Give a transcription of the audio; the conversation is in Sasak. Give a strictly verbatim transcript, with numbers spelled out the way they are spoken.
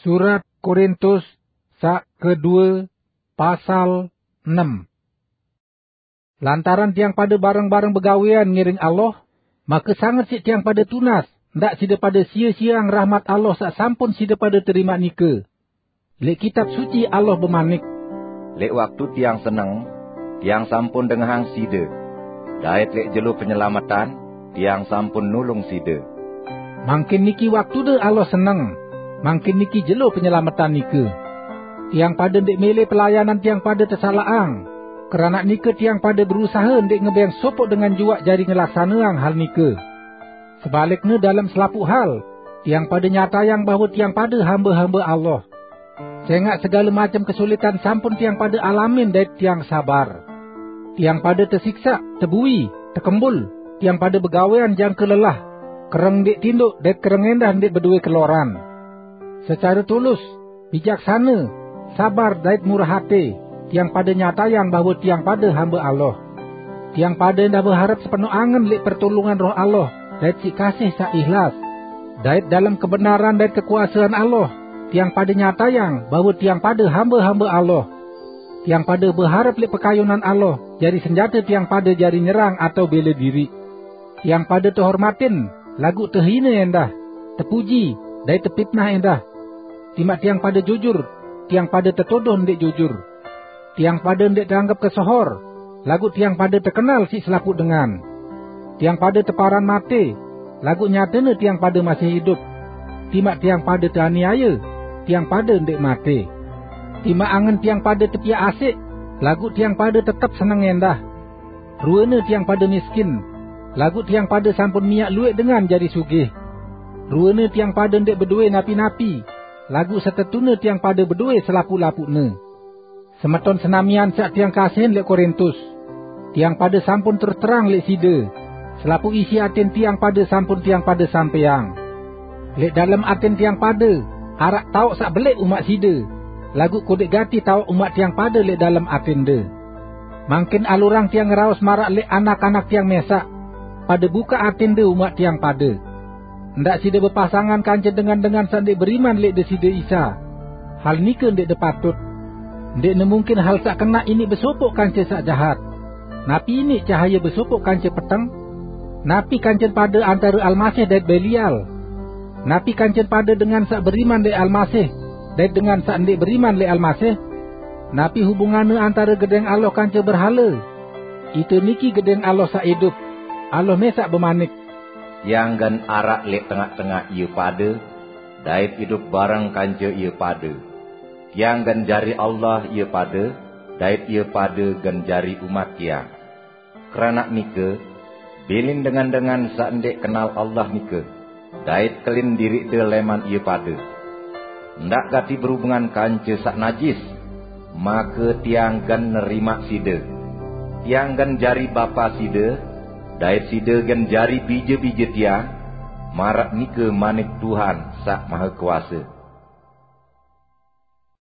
Surat Korintus sak kedua, pasal enam. Lantaran tiang pada bareng-bareng begawean ngiring Allah, maka sanget sik tiang pada tunas, ndak sida pada sia-siang rahmat Allah sak sampun sida pada terima nika. Lek Kitab Suci Allah bemanik, "Lek waktu tiang seneng, tiang sampun dengahang sida. Dait lek jelo penyelametan, tiang sampun nulung sida." Mangkin niki waktude Allah seneng, mangkin niki jelo penyelametan nika. Tiang pada ndik mele pelayanan tiang pada tesalahang. Keranak nika tiang pada berusaha ndik ngebeng sopok dengan juak jari ngelaksaneang hal nika. Sebalikne, dalam selapuq hal, tiang pada nyatayang bahwa tiang pada hamba-hamba Allah. Sengaq segale macem kesulitan sampun tiang pada alamin dait tiang sabar. Tiang pada tesiksaq, tebui, tekembul, tiang pada begawean jangke lelah, kereng ndik tinduk dait kereng endah ndik bedoe keloran. Secare tulus, bijaksane, sabar dait murah ate, tiang pada nyatayang bahwa tiang pada hamba Allah. Tiang pada endah beharep sepeno angen lek pertulungan Roh Allah dait sik kasih saq ikhlas. Dait dalam kebenaran dait kekuasean Allah, tiang pada nyatayang bahwa tiang pada hamba-hamba Allah. Tiang pada beharep lek pekayunan Allah jari senjata tiang pada jari nyerang atau bele diriq. Tiang pada tehormatin, laguq tehine endah, tepuji, dait tepitnah endah. Timaq tiang pada jujur, tiang pada tetodoh ndik jujur. Tiang pada ndik teanggep kesohor, laguq tiang pada tekenal sik selapuq dengan. Tiang pada teparan mate, laguq nyatene tiang pada masih idup. Timaq tiang pada teaniaye, tiang pada ndik mate. Timaq angen tiang pada tepiaq asik, laguq tiang pada tetep seneng endah. Ruene tiang pada miskin, laguq tiang pada sampun miaq lueq dengan jari sugih. Ruene tiang pada ndik bedoe napi-napi, laguq setetune tiang pada bedoe selapuq-lapuqne. Semeton senamian saq tiang kasihin lek Korintus, tiang pada sampun terus terang lek side, selapuq isi atin tiang pada sampun tiang pada sampeang. Lek dalem atin tiang pada araq taoq saq beleq umaq side, laguq kodeq gati taoq umaq tiang pada lek dalem atinde. Mangkin alurang tiang ngeraos maraq lek anak-anak tiang mesaq, pada bukaq atinde umaq tiang pada. Ndaq side bepasangan kance dengan-dengan saq ndeq beriman lek Deside Isa. Hal nike ndeqde patut. Ndeqne mungkin hal saq kenaq iniq besopoq kance saq jahat. Napi iniq cahaye besopoq kance peteng? Napi kancen pade antare Almasih dait Belial? Napi kancen pade dengan saq beriman lek Almasih dait dengan saq ndeq beriman lek Almasih? Napi hubunganne antare Gedeng Allah kance berhale? Ite niki Gedeng Allah saq idup. Allah mesaq bemanik, "Tiang gen araq lek tengaq-tengaq ie pade, dait idup bareng kance ie pade. Tiang gen jari Allah ie pade, dait ie pade gen jari umat Tiang. Keranaq nike, bilin dengan-dengan saq ndeq kenal Allah nike, dait kelin diriqde leman ie pade. Ndaq gati berubungan kance saq najis, make Tiang gen nerimaq side. Tiang gen jari Bapa side, dait side gen jari bije-bije Tiang, maraq nike manik Tuhan Saq Mahekuase."